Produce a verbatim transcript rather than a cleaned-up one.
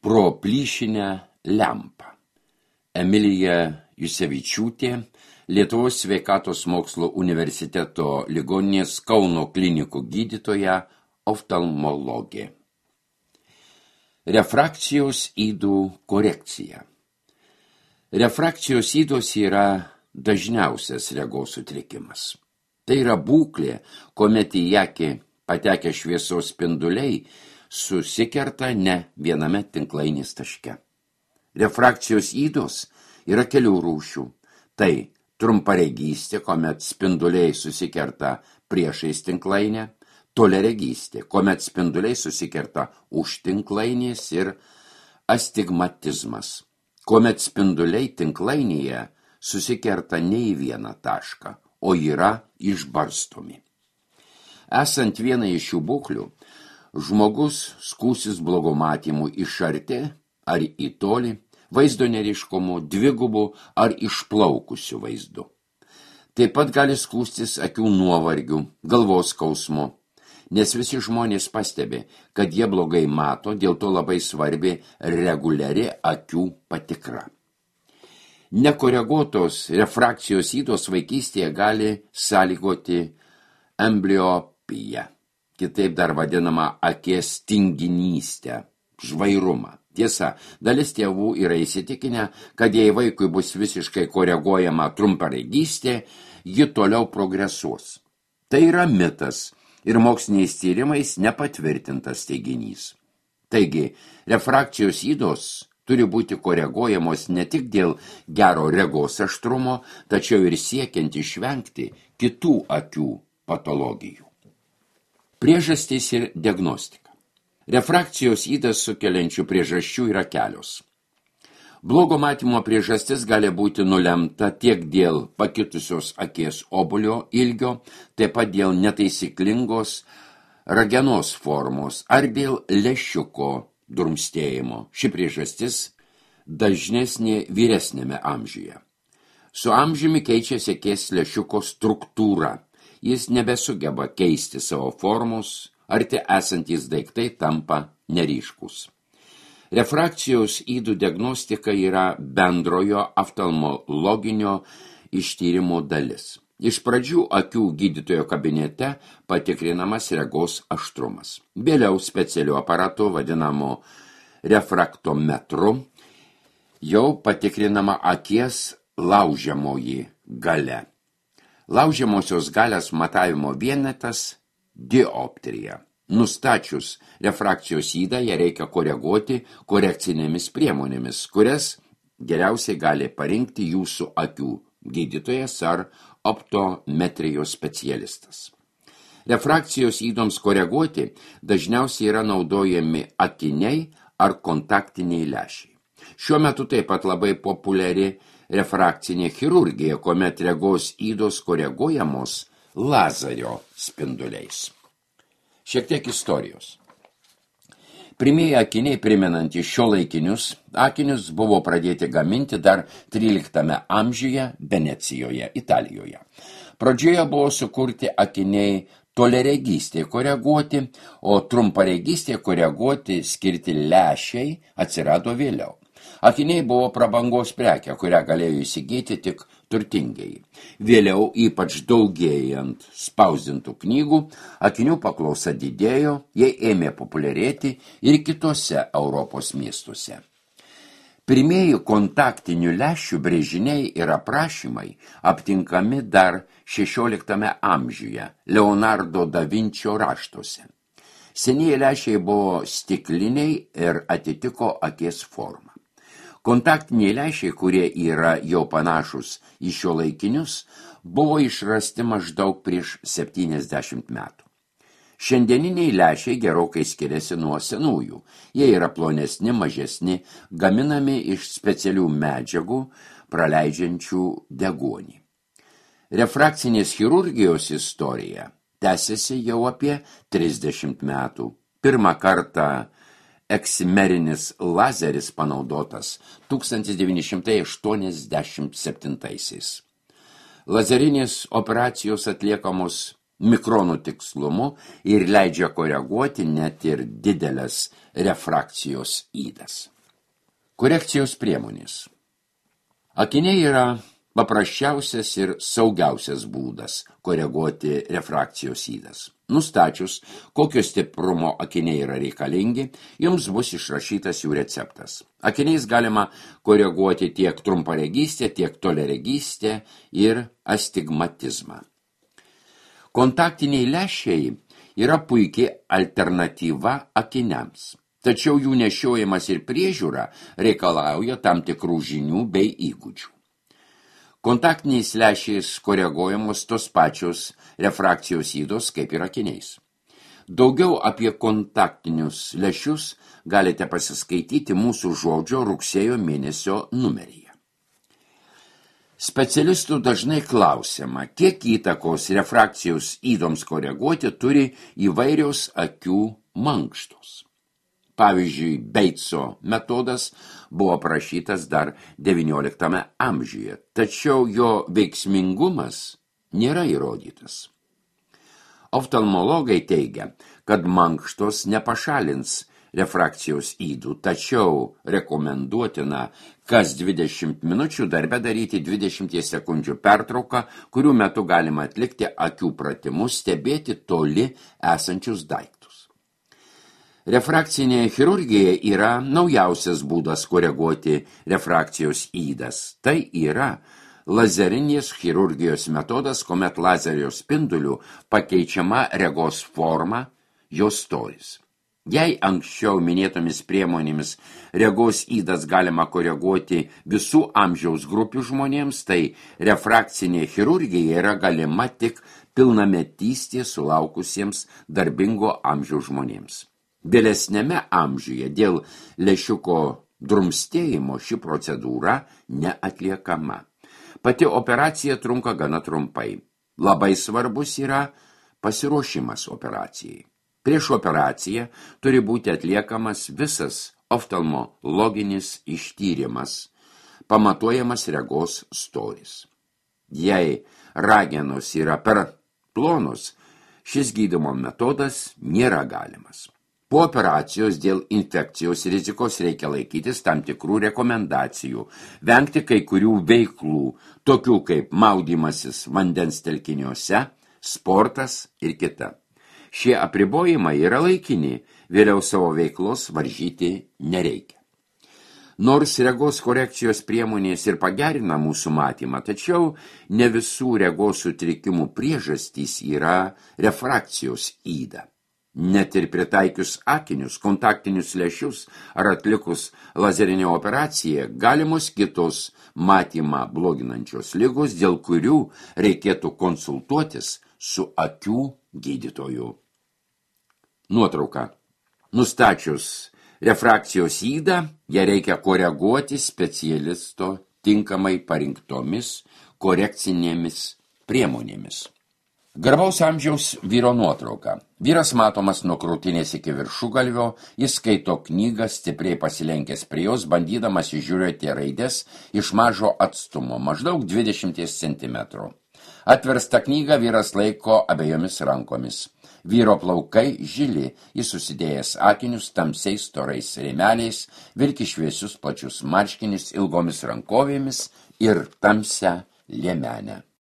pro plyšinę lempą. Emilija Jusevičiūtė, Lietuvos sveikatos mokslo universiteto ligoninės Kauno klinikų gydytoja, oftalmologė. Refrakcijos ydų korekcija. Refrakcijos ydos yra dažniausias regos sutrikimas. Tai yra būklė, kuomet į akį patekę šviesos spinduliai susikerta ne viename tinklainės taške. Refrakcijos ydos yra kelių rūšių. Tai trumparegystė, kuomet spinduliai susikerta priešais tinklainę, toliaregystė, kuomet spinduliai susikerta už tinklainės, ir astigmatizmas, kuomet spinduliai tinklainėje susikerta ne į vieną tašką, o yra išbarstomi. Esant vienai iš šių būklių, žmogus skųsis blogo matymu iš arti ar į tolį, vaizdo neryškumu, dvigubu ar išplaukusiu vaizdu. Taip pat gali skųstis akių nuovargiu, galvos skausmu, nes visi žmonės pastebi, kad jie blogai mato, dėl to labai svarbi reguliari akių patikra. Nekoreguotos refrakcijos ydos vaikystėje gali sąlygoti ambliopiją, kitaip dar vadinama akies tinginystę, žvairumą. Tiesa, dalis tėvų yra įsitikinę, kad jei vaikui bus visiškai koreguojama trumparegystė, ji toliau progresuos. Tai yra mitas ir moksliniais tyrimais nepatvirtintas teiginys. Taigi, refrakcijos ydos turi būti koreguojamos ne tik dėl gero regos aštrumo, tačiau ir siekiant išvengti kitų akių patologijų. Priežastys ir diagnostika. Refrakcijos ydas sukeliančių priežasčių yra kelios. Blogo matymo priežastis gali būti nulemta tiek dėl pakitusios akies obuolio ilgio, taip pat dėl netaisyklingos ragenos formos ar dėl lęšiuko durmstėjimo. Ši priežastis dažnesnė vyresnėme amžiuje. Su amžiumi keičiasi akies lęšiuko struktūra. Jis nebesugeba keisti savo formos, arti esantys daiktai tampa neryškus. Refrakcijos ydų diagnostika yra bendrojo oftalmologinio ištyrimo dalis. Iš pradžių akių gydytojo kabinete patikrinamas regos aštrumas. Vėliau specialiu aparatu, vadinamu refraktometru, jau patikrinama akies laužiamoji galia. Laužiamosios galios matavimo vienetas dioptrija. Nustačius refrakcijos ydą, ją reikia koreguoti korekcinėmis priemonėmis, kurias geriausiai gali parinkti jūsų akių gydytojas ar optometrijos specialistas. Refrakcijos ydoms koreguoti dažniausiai yra naudojami akiniai ar kontaktiniai lęšiai. Šiuo metu taip pat labai populiari refrakcinė chirurgija, kuomet regos ydos koreguojamos lazerio spinduliais. Šiek tiek istorijos. Pirmieji akiniai primenantys šiuolaikinius akinius buvo pradėti gaminti dar tryliktame amžiuje Venecijoje, Italijoje. Pradžioje buvo sukurti akiniai toliaregystė koreguoti, o trumparegystė koreguoti skirti lęšiai atsirado vėliau. Akiniai buvo prabangos prekė, kurią galėjo įsigyti tik turtingiai. Vėliau, ypač daugėjant spausdintų knygų, akinių paklausa didėjo, jie ėmė populiarėti ir kitose Europos miestuose. Pirmieji kontaktinių lęšių brėžiniai ir aprašymai aptinkami dar šešioliktame amžiuje Leonardo da Vinčio raštuose. Senieji lęšiai buvo stikliniai ir atitiko akies formą. Kontaktiniai lęšiai, kurie yra jau panašus į šiuolaikinius, buvo išrasti maždaug prieš septyniasdešimt metų. Šiandieniniai lęšiai gerokai skiriasi nuo senųjų. Jie yra plonesni, mažesni, gaminami iš specialių medžiagų, praleidžiančių deguonį. Refrakcinės chirurgijos istorija tęsiasi jau apie trisdešimt metų. Pirmą kartą eksimerinis lazeris panaudotas tūkstantis devyni šimtai aštuoniasdešimt septintaisiais. Lazerinės operacijos atliekamos mikronų tikslumu ir leidžia koreguoti net ir didelės refrakcijos ydas. Korekcijos priemonės. Akiniai yra paprasčiausias ir saugiausias būdas koreguoti refrakcijos ydas. Nustačius, kokio stiprumo akiniai yra reikalingi, jums bus išrašytas jų receptas. Akiniais galima koreguoti tiek trumparegystę, tiek toliaregystę ir astigmatizmą. Kontaktiniai lęšiai yra puikiai alternatyva akiniams, tačiau jų nešiojimas ir priežiūra reikalauja tam tikrų žinių bei įgūdžių. Kontaktiniais lęšiais koreguojamos tos pačios refrakcijos ydos kaip ir akiniais. Daugiau apie kontaktinius lęšius galite pasiskaityti mūsų žodžio rugsėjo mėnesio numeryje. Specialistų dažnai klausiama, kiek įtakos refrakcijos ydoms koreguoti turi įvairios akių mankštos. Pavyzdžiui, Beitso metodas buvo aprašytas dar devynioliktame amžiuje, tačiau jo veiksmingumas nėra įrodytas. Oftalmologai teigia, kad mankštos nepašalins refrakcijos ydų, tačiau rekomenduotina kas dvidešimt minučių darbe daryti dvidešimt sekundžių pertrauką, kurių metu galima atlikti akių pratimus, stebėti toli esančius daiktus. Refrakcinė chirurgija yra naujausias būdas koreguoti refrakcijos ydas. Tai yra lazerinės chirurgijos metodas, kuomet lazerio spinduliu pakeičiama regos forma, jos storis. Jei anksčiau minėtomis priemonėmis regos ydas galima koreguoti visų amžiaus grupių žmonėms, tai refrakcinė chirurgija yra galima tik pilnametystės sulaukusiems darbingo amžiaus žmonėms. Vėlesnėme amžiuje dėl lęšiuko drumstėjimo ši procedūra neatliekama. Pati operacija trunka gana trumpai. Labai svarbus yra pasiruošimas operacijai. Prieš operaciją turi būti atliekamas visas oftalmologinis ištyrimas, pamatuojamas regos storis. Jei ragenos yra per plonos, šis gydymo metodas nėra galimas. Po operacijos dėl infekcijos rizikos reikia laikytis tam tikrų rekomendacijų, vengti kai kurių veiklų, tokių kaip maudymasis vandens telkiniuose, sportas ir kita. Šie apribojimai yra laikini, vėliau savo veiklos varžyti nereikia. Nors regos korekcijos priemonės ir pagerina mūsų matymą, tačiau ne visų regos sutrikimų priežastys yra refrakcijos yda. Net ir pritaikius akinius, kontaktinius lęšius ar atlikus lazerinę operaciją, galimos kitos matymą bloginančios ligos, dėl kurių reikėtų konsultuotis su akių gydytoju. Nuotrauka. Nustačius refrakcijos ydą, ją reikia koreguoti specialisto tinkamai parinktomis korekcinėmis priemonėmis. Garbaus amžiaus vyro nuotrauka. Vyras matomas nuo krūtinės iki viršugalvio, jis skaito knygą, stipriai pasilenkęs prie jos, bandydamas įžiūrėti raides iš mažo atstumo, maždaug dvidešimt centimetrų. Atverstą knygą vyras laiko abiejomis rankomis. Vyro plaukai žili, jis susidėjęs akinius tamsiais storais rėmeliais, vilki šviesius plačius marškinius ilgomis rankovėmis ir tamsią liemenę.